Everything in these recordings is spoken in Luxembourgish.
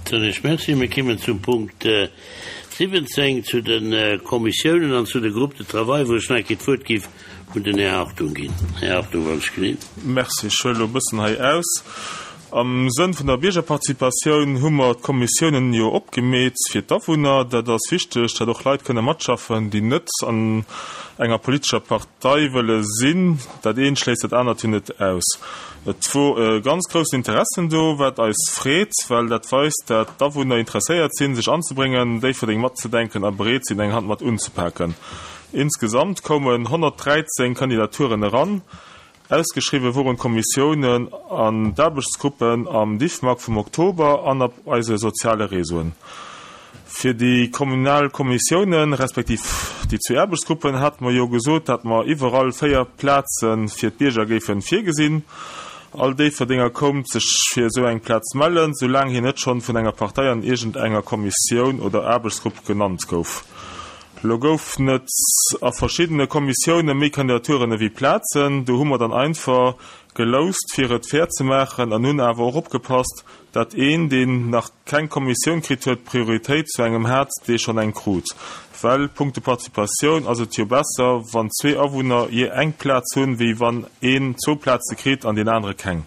Soen ech Merci. Mir kimmen zum Punkt 17, zu de Kommissiounen an zu de Groupes de travail, wou ech nach eng Kéier d'Wuert géif un den Här Hartung ginn. Här Hartung, wann ech genee. Merci. Ech huele elo e bëssen hei aus. Am Sënn vun der Biergerparticipatioun hu mer d'Kommissiounen jo opgemeet fir d'Awunner. Dat ass wichteg, dat och Leit kënne matschaffen, déi net an enger politescher Partei wëlle sinn. Dat eent schléisst dat anert jo net aus. Et wor e ganz groussen Interessen do, wat eis freet, well dat weist, dat d'Awunner interesséiert sinn, sech anzebréngen, Déifferdeng matzedenken a bereet sinn, eng Hand mat unzepaken. Insgesamt koumen 113 Kandidaturen eran. Ausgeschriwwe woren d'Kommissiounen an d'Aarbechtsgruppen am Diffmag vum Oktober an op eise soziale Réseauen. Fir déi kommunal Kommissiounen, respektiv déi zwee Aarbechtsgruppen, hate mer jo gesot, dat mer iwwerall 4 Plaze fir d'Bierger géife virgesinn. All Déifferdenger koumt sech fir esou eng Plaz mellen, soulaang hien net schonn vun enger Partei an iergend enger Kommissioun oder Aarbechtsgrupp genannt gouf. Lo goufen et a verschiddene Kommissioune méi Kandidaturen ewéi Plazen. Do hu mer dann einfach geloust, fir et fair ze maachen an hunn awer och opgepasst, dat een, deen nach keng Kommissioun kritt huet, Prioritéit zu engem hat, dee schonn eng krut. Well punkto Participatioun ass et jo besser, wann zwee Awunner jee eng Plaz hunn, wéi wann een zwou Plaze kritt an deen anere keng.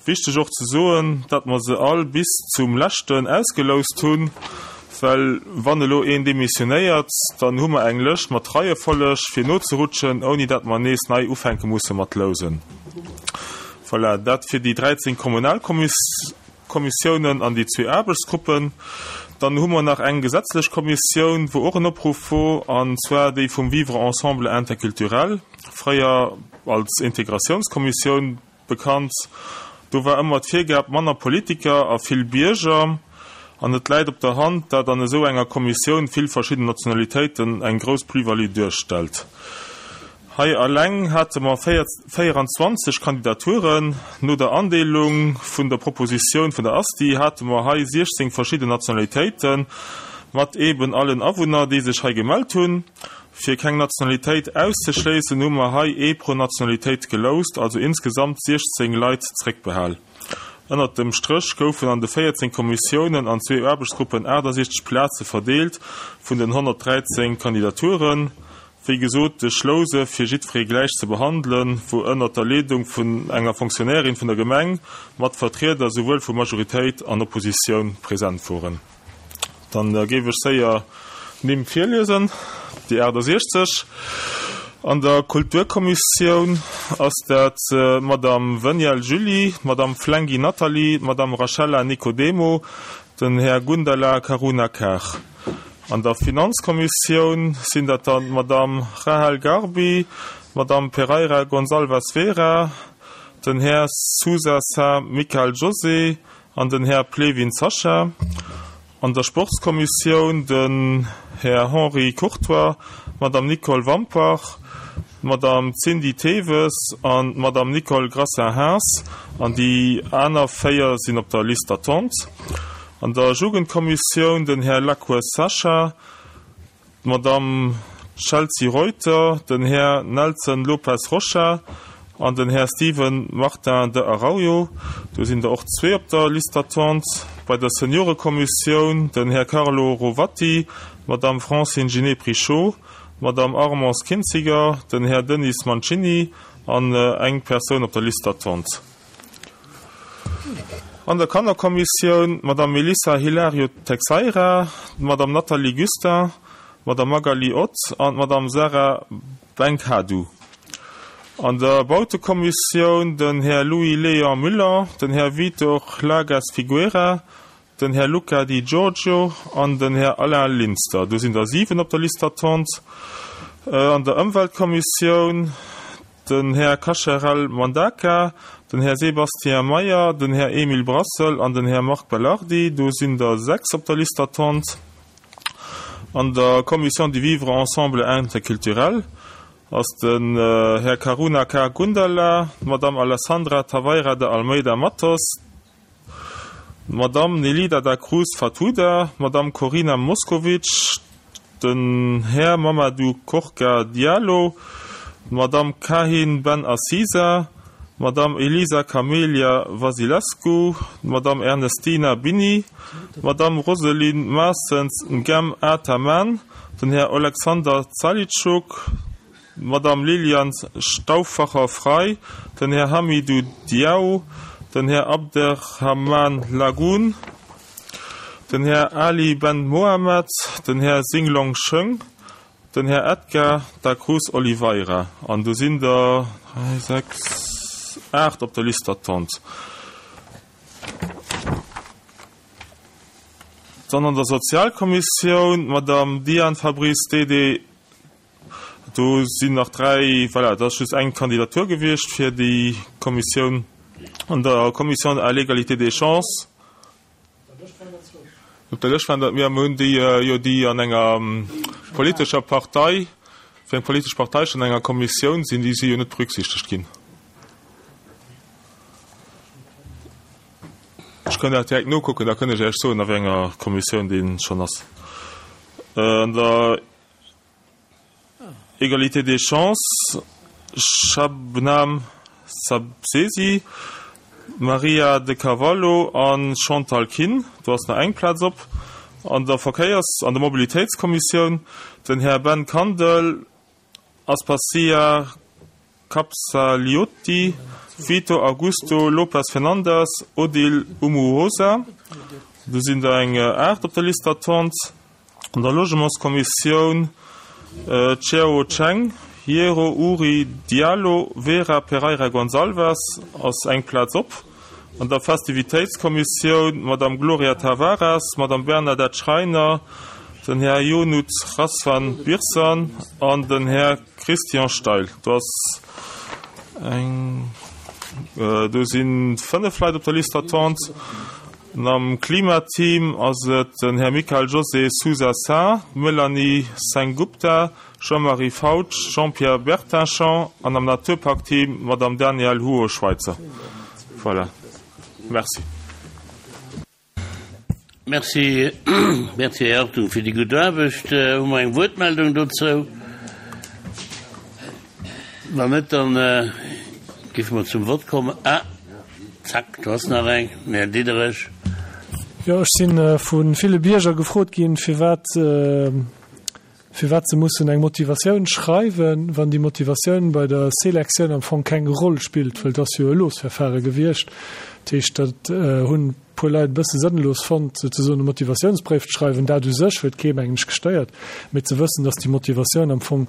Wichteg och ze soen, datt mer se all bis zum leschten ausgeloust hunn, well wann elo een demissionéiert, dann hu mer eng Lëscht mat Reiefolleg fir nozerutschen, ouni datt mer nees nei ufänke musse mat lousen. Voilà, dat fir déi 13 Kommunalkommissiounen an déi zwee Aarbechtsgruppen. Dann hu mer nach eng gesetzlech Kommissioun, wou och en Opruff wor, an zwar déi vum Vivre ensemble interculturel, fréier als Integratiounskommissioun bekannt. Do war ëmmer d'Virgab, manner Politiker a vill Bierger. An et läit op der Hand, dat an esou enger Kommissioun vill verschidden Nationalitéiten eng grouss Plus-value duerstellt. Hei eleng hate mer 24 Kandidaturen. No der Andeelung vun der Propositioun vun der ASTI hate mer hei 16 verschidden Nationalitéiten, mat eeben allen Awunner, déi sech hei gemellt hunn. Fir keng Nationalitéit auszeschléissen, hu mer hei ee pro Nationalitéit geloust, also insgesamt 16 Leit zréckbehal. Ënnert dem Stréch goufen an de 14 Kommissiounen an zwee Aarbechtsgruppen 68 Plaze verdeelt vun den 113 Kandidaturen. Wéi gesot, de Schlouse fir jiddweree gläich ze behandelen, wor ënnert der Leedung vun enger Fonctionnairin vun der Gemeng mat Vertrieder souwuel vu Majoritéit an Oppositioun present woren. Dann géif ech séier d'Nimm virliesen, déi 68. An der Kulturkommissioun ass dat d'Madame Veniel Julie, d'Madame Flenghi Nathalie, d'Madame Rachella Nicodemo, den Här Gundala Karunakar. An der Finanzkommissioun sinn dat dann d'Madame Rahel Garbi, d'Madame Pereira Gonçalves Vera, den Här Sousa Sa Michael José, An den Här Plewin Sascha. An der Sportskommissioun den Här Henri Courtois, d'Madame Nicole Wampach, d'Madame Cindy Theves an d'Madame Nicole Grassin-Haas. An déi aner 4 sinn op der Liste d'attente. An der Jugendkommissioun den Här Lacroix Sascha, d'Madamm Chelsea Reuter, den Här Nelson Lopes Rocha an den Här Steven Martin de Araujo. Do sinn der och zwee op der Liste d'attente. Bei der Seniorekommissioun den Här Carlo Rovatti, d'Madamm Francine Ginet-Prichot, d'Madamm Armance Kintziger, den Här Denis Mancini an eng Persoun op der Liste d'attente. An der Kannerkommissioun, d'Madame Melissa Hilario Texeira, d'Madame Nathalie Gustin, d'Madame Magali Ott an d'Madame Sarah Benkhadou. An der Bautekommissioun, den Här Louis Léon Müller, den Här Vitor Lagas Figueira, den Här Luca Di Giorgio an den Här Alain Linster. Do sinn der 7 op der Liste d'attente. An der Ëmweltkommissioun, den Här Cacharel Mandaka, den Här Sébastien Meyer, den Här Emile Brassel an den Här Marc Belardi. Do sinn der 6 op der Liste d'attente. An der Commission du vivre ensemble interculturel ass den Här Karuna K. Gundala, d'Madame Alessandra Taveira de Almeida Matos, D'Madamm Nelida da Cruz Fatuda, d'Madamm Corina Moscovic, den Här Mamadou Korka Diallo, d'Madamm Kahin Ben Aziza, d'Madame Elisa Camelia Vasilescu, d'Madame Ernestina Bini, d'Madame Roselyne Maassens Ngem Ataman, den Här Oleksander Zalitschuk, d'Madame Liliane Stauffacher-Frey, den Här Hamidou Diao, den Här Abderrahmane Lagoun, den Här Ali Ben Mohamed, den Här Xinglong Sheng, den Här Edgar da Cruz Oliveira. An do sinn der 3, 6, 8 op der Liste d'attente. Dann an der Sozialkommissioun d'Madame Diane Fabrice Dede. Do sinn nach 3, voilà, dat ass just eng Kandidatur gewiescht fir déi Kommissioun. An der Commission à l'égalité des chances, op der Lëscht waren der, mir hunn déi jo, déi an enger politescher Partei, fir eng politesch Partei schonn an enger Kommissioun sinn, déi si jo net berücksichtegt ginn. Ech kënnt dat direkt nokucken, da kënnt ech Iech soen, a wéi enger Kommissioun dee schonn ass. An der Égalité des chances, Shabnam Sabzesi, Maria De Carvalho a Chantal Kinn, do ass nach eng Plaz op. An der Verkéiers an der Mobilitéitskommissioun den Här Ben Kandel, Aspasia Capsaliotti, Vito Augusto Lopes Fernandes, Odile Umuhoza, do sinn der eng 8 op der Liste d'attente. An der Logementskommissioun Chiao Cheng, Hiero Uri Diallo, Vera Pereira Gonçalves ass eng Plaz op. An der Festivitéitskommissioun Madame Gloria Tavares, Madame Bernadette Schreiner, den Här Ionut Razvan Birsan an den Här Christian Steil. Do ass eng, do si 5 Leit op der Liste d'attente. An am Klimateam ass et den Här Michael José Sousa Sá, d'Melanie Sengupta, Jean-Marie Fautsch, Jean-Pierre Bertinchamps an am Naturparkteam d'Madame Danièle Houo-Schweitzer. Voilà. Merci. Merci, merci Här Hartung fir déi gutt Aarbecht. Hu mer eng Wuertmeldung dozou? Wann net, dann géife mer zum Vott kommen. Ah, zack, do ass nach eng. Den Här Diderich. Jo, ech si vu ville Bierger gefrot ginn, firwat, firwat se mussen eng Motivatioun schreiwen, wann déi Motivatioun bei der Selektioun am Fong keng Roll spillt, well et ass jo e Losverfahre gewiescht. Dat heescht, dat hunn e puer Leit e bësse sënnlos fonnt, souzesoen e Motivatiounsbréif ze schreiwen. Dat u sech huet kee, mengen ech, gestéiert, mee ze wëssen, dass déi Motivatioun am Fong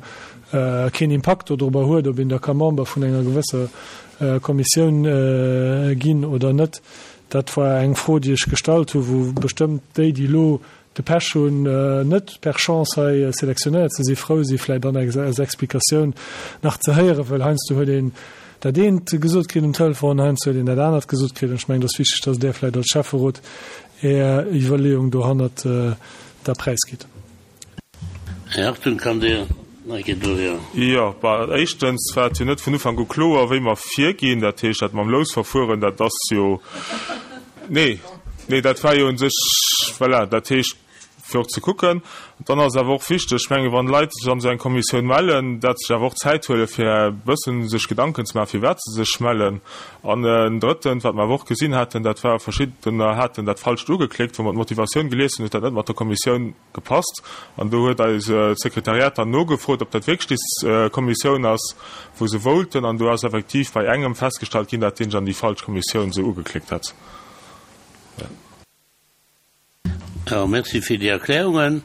keen Impakt dodrobber huet, ob een da ka Member vun enger gewësser Kommissioun ginn oder net, dat war eng Fro, déi ech gestallt hu wou bestëmmt déi, déi elo de Pech hunn, net per Chance hei selektionéiert ze sinn, frou si vläicht dann als Explikatioun nach ze héieren, well heiansdo huet een dat eent gesot kritt um Telefon, heiansdo huet een dat anert gesot kritt. An ech mengen, et ass wichteg, dass Der vläicht als Schäfferot Är Iwwerleeung dohannert da präisgitt. Här Hartung, kann Dir nach eng Kéier dohier? Jo, bah, éischtens war et jo net vun Ufank u kloer, wéi mer virginn. Dat heescht, dat mam Lousverfueren, dat ass jo, nee, nee, dat war jo u sech, voilà, dat heescht, fir och ze kucken. Dann ass et awer och wichteg, ech menge wann Leit sech an esou eng Kommissioun mellen, dat sech awer och Zäit huele fir e bëssen sech Gedanken ze maachen, firwat se sech mellen. An en drëttens, wat mer awer och gesinn haten, dat war, verschiddener haten dat Falscht ugeklickt, wou mer d'Motivatioun gelies hunn, huet dat net mat der Kommissioun gepasst. An do huet eis d'Sekretariat dann nogefrot, ob dat wierklech déi Kommissioun ass, wou se wollten. An do ass effektiv bei engem festgestallt ginn, dat deen sech an déi falsch Kommissioun esou ugeklickt hat. Jo, merci fir déi Erklärungen.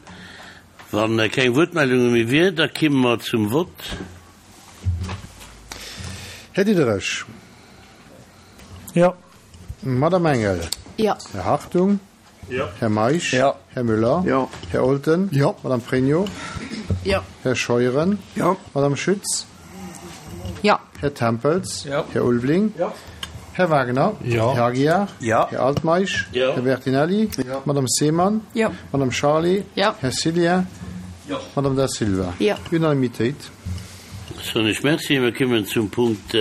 Wa keng Wuertmeldunge méi wier, da kimme mer zum Vott. Här Diderich. Jo. Madame Engel. Jo. Här Hartung. Jo. Här Meisch. Jo. Här Müller. Jo. Här Olten. Jo. Madame Pregno. Jo. Här Scheuren. Jo. Madame Schütz. Jo. Här Tempels. Jo. Här Ulveling. Jo. Här Wagner. Jo. Här Aguiar. Jo. Här Altmeisch. Jo. Här Bertinelli. Jo. Madame Seemann. Jo. Madame Charlé. Jo. Här Cillien. Jo. Madame Da Silva. Jo. Unanimitéit. Soen ech Merci. Mir kommen zum Punkt.